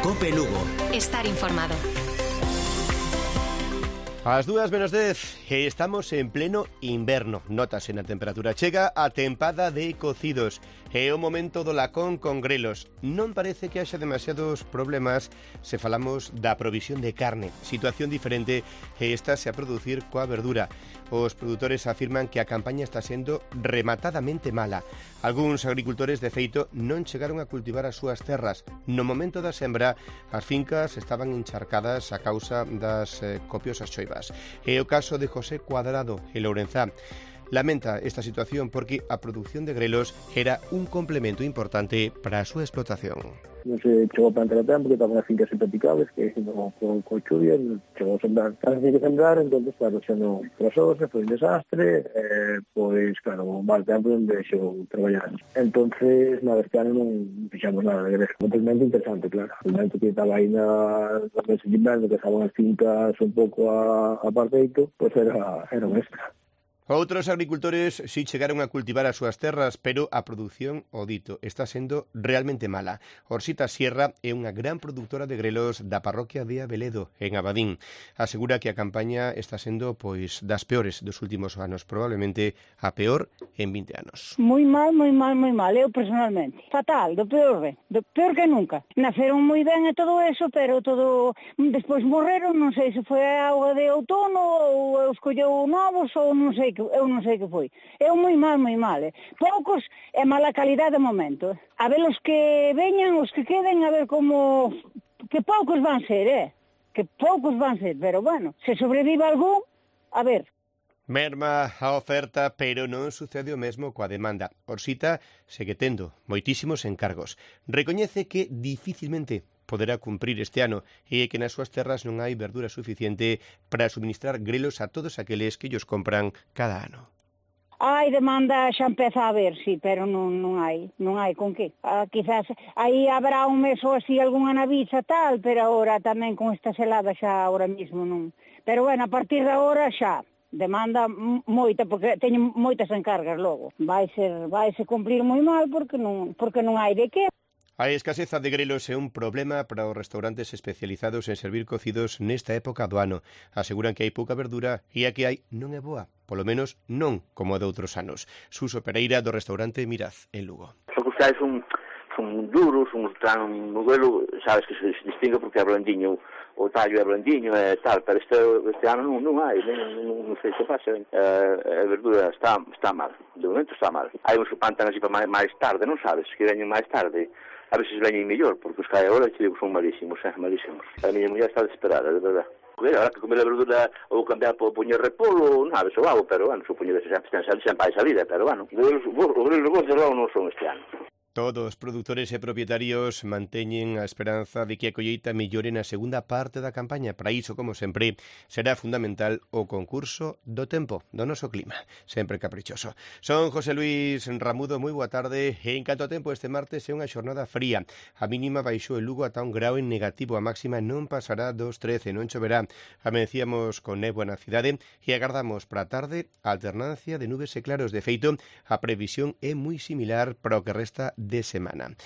COPE Lugo. Estar informado. Ás 2:10 e estamos en pleno inverno. Nótase na temperatura. Chega a tempada de cocidos. É o momento do lacón con grelos. Non parece que haxa demasiados problemas se falamos da provisión de carne. Situación diferente e estase a producir coa verdura. Os produtores afirman que a campaña está sendo rematadamente mala. Algúns agricultores, de feito, non chegaron a cultivar as súas terras. No momento da sembra, as fincas estaban encharcadas a causa das copiosas choivas. É o caso de José Cuadrado, en Lourenzá. Lamenta esta situación porque a produción de grelos era un complemento importante para a súa explotación. Non se chegou a plantar a tempo, que estaban as fincas impracticables, que con chuvia, chegou a sembrar. Casi que sembrar, entón, claro, xa non trasose, foi un desastre, pois, claro, un mal tempo onde xegou traballar. Entonces, nada, este ano non fixamos nada de grelos. Un momento interesante, claro. O momento que estaba aí na meses de inverno, que estaban as fincas un pouco a parteito, pois era un extra. Outros agricultores si chegaron a cultivar as súas terras, pero a produción, o dito, está sendo realmente mala. Orsita Sierra é unha gran produtora de grelos da parroquia de Abeledo, en Abadín. Asegura que a campaña está sendo pois das peores dos últimos anos, probablemente a peor en 20 anos. Moi mal, eu personalmente. Fatal, do peor que nunca. Naceron moi ben e todo eso, pero todo despois morreron, non sei se foi a auga de outono ou escolleu novos ou non sei que foi. É moi mal. Poucos e mala calidade de momento. A ver os que veñan, os que queden, a ver como... Que poucos van ser, pero bueno, se sobrevive algún, a ver... Merma a oferta, pero non sucede o mesmo coa demanda. Orsita segue tendo moitísimos encargos. Recoñece que dificilmente poderá cumprir este ano e que nas súas terras non hai verdura suficiente para suministrar grelos a todos aqueles que ellos compran cada ano. Hai demanda, xa empeza a ver, sí, pero non hai con que. Quizás aí habrá un mes ou así algunha naviza tal, pero agora tamén con esta selada xa agora mismo non. Pero bueno, a partir de agora xa demanda moita, porque teñen moitas encargas logo. Vaise cumprir moi mal porque non hai de que. A escaseza de grelos é un problema para os restaurantes especializados en servir cocidos nesta época do ano. Aseguran que hai pouca verdura e a que hai non é boa, polo menos non como a de outros anos. Suso Pereira, do restaurante Miraz, en Lugo. Os costais son duros, un modelo, sabes que se distingue porque é blandiño, o tallo é blandiño e tal, pero este ano non hai, non sei se pasa. A verdura está mal, de momento está mal. Hai uns que plantan así para máis tarde, non sabes, que veñen máis tarde. A veces veñen mellor, porque os que hai agora son malísimos, malísimos. A miña muller está desesperada, de verdad. Ahora que comer a verdura ou cambiar por poñer repolo, non sabes, o hago, pero bueno, supoño que sempre hai salida, pero bueno, os grelos de logo non son este ano. Todos os produtores e propietarios manteñen a esperanza de que a colleita mellore na segunda parte da campaña. Para iso, como sempre, será fundamental o concurso do tempo, do noso clima, sempre caprichoso. Son José Luis Ramudo, moi boa tarde. En canto a tempo, este martes é unha xornada fría. A mínima baixou en Lugo ata 1 grao en negativo. A máxima non pasará dos 13, non choverá. Amencíamos con néboa na cidade e agardamos para a tarde a alternancia de nubes e claros. De feito, a previsión é moi similar para o que resta de semana.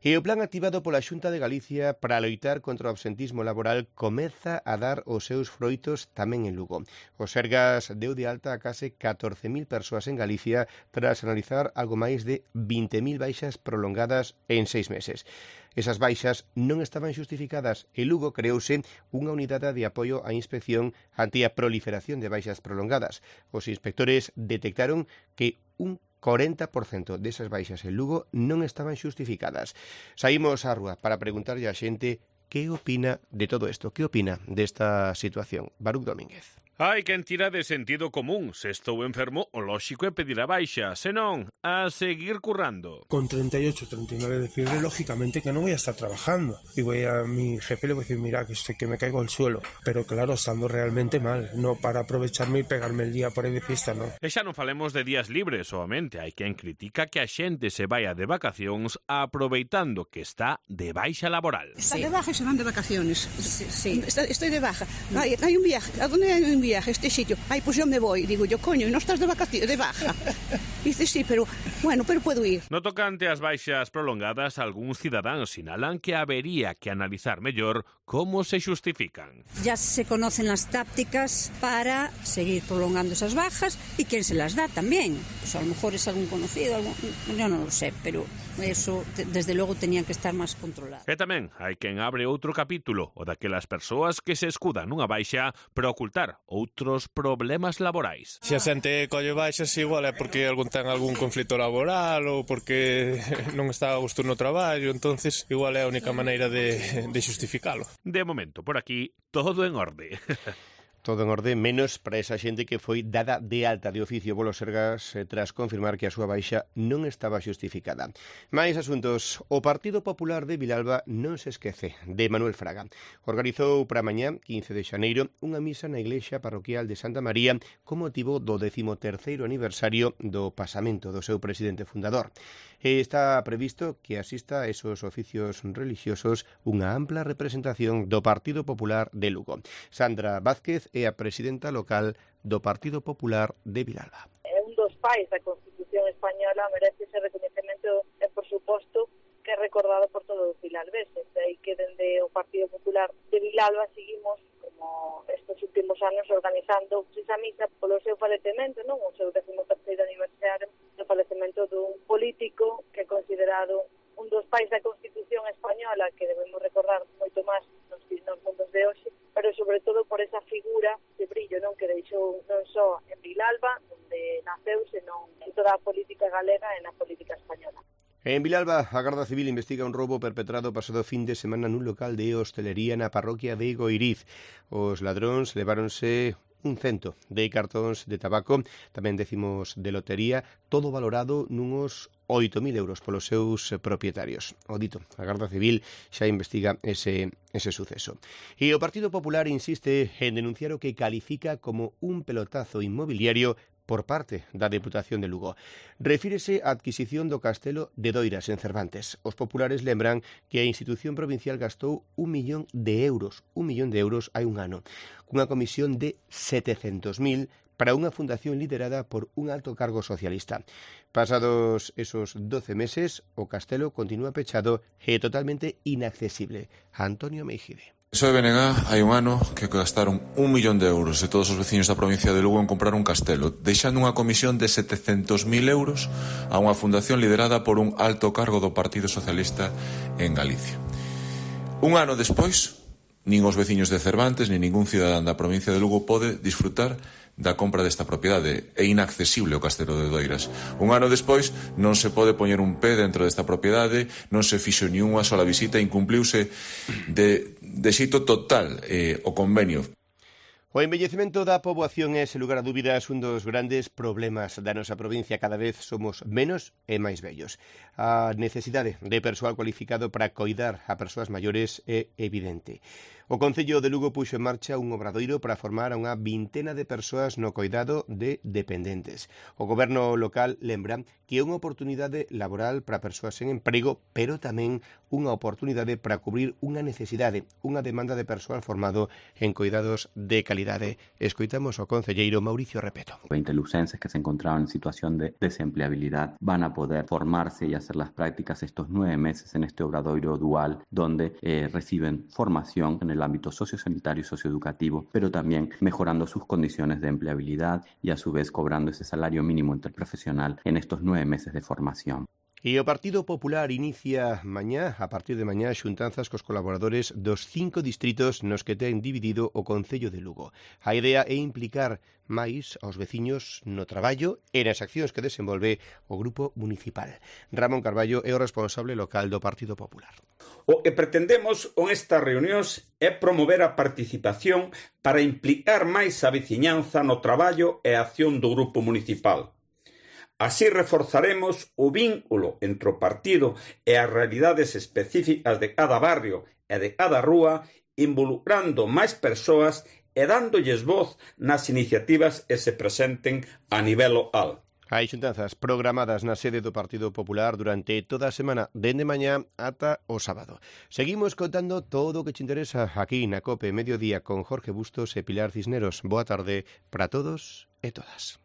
E o plan activado pola Xunta de Galicia para loitar contra o absentismo laboral comeza a dar os seus froitos tamén en Lugo. O Sergas deu de alta a case 14.000 persoas en Galicia tras analizar algo máis de 20.000 baixas prolongadas en 6 meses. Esas baixas non estaban xustificadas e Lugo creouse unha unidade de apoio á inspección ante a proliferación de baixas prolongadas. Os inspectores detectaron que un 40% desas baixas en Lugo non estaban xustificadas. Saímos á rúa para preguntarlle á xente que opina de todo isto, que opina desta situación. Baruch Domínguez. Hai quen tira de sentido común. Se estou enfermo, o lóxico é pedir a baixa. Se non, a seguir currando. Con 38, 39 de fiebre, lógicamente que no voy a estar trabajando. Y voy a mi jefe le voy a decir, mira, que me caigo al suelo. Pero claro, estando realmente mal. No para aprovecharme y pegarme el día por aí de fiesta, non. E xa non falemos de días libres, soamente. Hai quen critica que a xente se vaya de vacacións aproveitando que está de baixa laboral. Está de baja e se van de vacaciones. Sí. Estoy de baja. Hay un viaje. ¿A dónde hay un viaje? Este sitio. Ay, pues yo me voy. Digo yo, coño, ¿y no estás de vacaciones, de baja? Dice, sí, pero puedo ir. No tocante ás baixas prolongadas, algúns cidadáns sinalan que habería que analizar mellor como se xustifican. Ya se conocen las tácticas para seguir prolongando esas bajas y quién se las da también. Pues a lo mejor es algún conocido, yo no lo sé, pero eso desde logo tenía que estar máis controlado. E tamén hai quen abre outro capítulo, o daquelas persoas que se escudan nunha baixa para ocultar outros problemas laborais. Se a xente colle baixas igual é porque ten algún conflito laboral ou porque non está a gusto no traballo, entonces igual é a única maneira de xustificalo. De momento, por aquí, todo en orde. Todo en orde, menos para esa xente que foi dada de alta de oficio polo Sergas tras confirmar que a súa baixa non estaba xustificada. Mais asuntos. O Partido Popular de Vilalba non se esquece de Manuel Fraga. Organizou para mañá, 15 de xaneiro, unha misa na iglesia parroquial de Santa María con motivo do 13º aniversario do pasamento do seu presidente fundador. Está previsto que asista a esos oficios religiosos unha ampla representación do Partido Popular de Lugo. Sandra Vázquez é a presidenta local do Partido Popular de Vilalba. É un dos pais da Constitución española, merece ese reconhecemento e, por suposto, que é recordado por todos os vilalbeses. Aí que dende o Partido Popular de Vilalba seguimos, como estes últimos anos, organizando esa misa polo seu falecemento, non? O seu 13º aniversario do falecemento dun político que é considerado un dos pais da Constitución española, que debemos recordar moito máis nos mundos de hoxe, pero sobre todo por esa figura de brillo, non, que deixou non só en Vilalba, onde naceu, senón en toda a política galega e na política española. En Vilalba, a Garda Civil investiga un roubo perpetrado pasado fin de semana nun local de hostelería na parroquia de Goiriz. Os ladróns leváronse un cento de cartóns de tabaco, tamén decimos de lotería, todo valorado nuns 8.000 euros polos seus propietarios. O dito, a Garda Civil xa investiga ese suceso. E o Partido Popular insiste en denunciar o que califica como un pelotazo inmobiliario por parte da Deputación de Lugo. Refírese á adquisición do castelo de Doiras en Cervantes. Os populares lembran que a institución provincial gastou 1 millón de euros hai un ano, cunha comisión de 700.000 para unha fundación liderada por un alto cargo socialista. Pasados esos 12 meses, o castelo continúa pechado e totalmente inaccesible. Antonio Meijide. Soy BNG, hai un ano que gastaron 1 millón de euros de todos os veciños da provincia de Lugo en comprar un castelo, deixando unha comisión de 700.000 euros a unha fundación liderada por un alto cargo do Partido Socialista en Galicia. Un ano despois, nin os veciños de Cervantes, nin ningún cidadán da provincia de Lugo pode disfrutar da compra desta propiedade. É inaccesible o castelo de Doiras. Un ano despois non se pode poñer un pé dentro desta propiedade, non se fixo ni unha sola visita, incumpliuse de xeito total o convenio. O envellecemento da poboación é, sen lugar a dúbidas, un dos grandes problemas da nosa provincia. Cada vez somos menos e máis vellos. A necesidade de persoal cualificado para coidar a persoas maiores é evidente. O Concello de Lugo puxo en marcha un obradoiro para formar a unha vintena de persoas no coidado de dependentes. O goberno local lembra que é unha oportunidade laboral para persoas en emprego, pero tamén unha oportunidade para cubrir unha necesidade, unha demanda de persoal formado en coidados de calidade. Escoitamos ao concelleiro Mauricio Repeto. 20 lucenses que se encontraban en situación de desempleabilidad van a poder formarse y hacer las prácticas estos 9 meses en este obradoiro dual, donde reciben formación en el ámbito sociosanitario y socioeducativo, pero también mejorando sus condiciones de empleabilidad y a su vez cobrando ese salario mínimo interprofesional en estos 9 meses de formación. E o Partido Popular inicia a partir de mañá, xuntanzas cos colaboradores dos 5 distritos nos que ten dividido o Concello de Lugo. A idea é implicar máis aos veciños no traballo e nas accións que desenvolve o Grupo Municipal. Ramón Carballo é o responsable local do Partido Popular. O que pretendemos con estas reunións é promover a participación para implicar máis a veciñanza no traballo e a acción do Grupo Municipal. Así reforzaremos o vínculo entre o partido e as realidades específicas de cada barrio e de cada rúa, involucrando máis persoas e dándolles voz nas iniciativas que se presenten a nivel local. Hai xuntanzas programadas na sede do Partido Popular durante toda a semana, dende mañá ata o sábado. Seguimos contando todo o que te interesa aquí na COPE Mediodía con Jorge Bustos e Pilar Cisneros. Boa tarde para todos e todas.